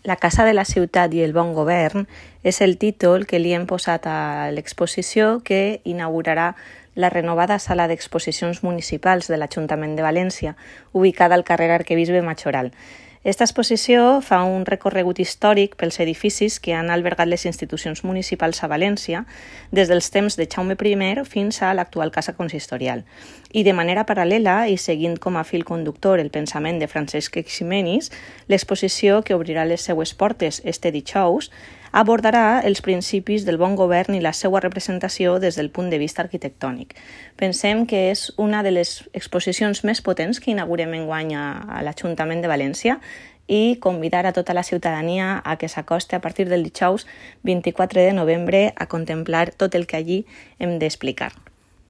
La Casa de la Ciutat i el Bon Govern és el títol que li hem posat a l'exposició que inaugurarà la renovada sala d'exposicions municipals de l'Ajuntament de València, ubicada al carrer Arquebisbe Majoral. Esta exposició fa un recorregut històric pels edificis que han albergat les institucions municipals a València des dels temps de Jaume I fins a l'actual Casa Consistorial. I de manera paral·lela i seguint com a fil conductor el pensament de Francesc Eiximenis, l'exposició que obrirà les seues portes este dijous abordarà els principis del bon govern i la seva representació des del punt de vista arquitectònic. Pensem que és una de les exposicions més potents que inaugurem enguany a l'Ajuntament de València i convidar a tota la ciutadania a que s'acosti a partir del dijous 24 de novembre a contemplar tot el que allí hem d'explicar.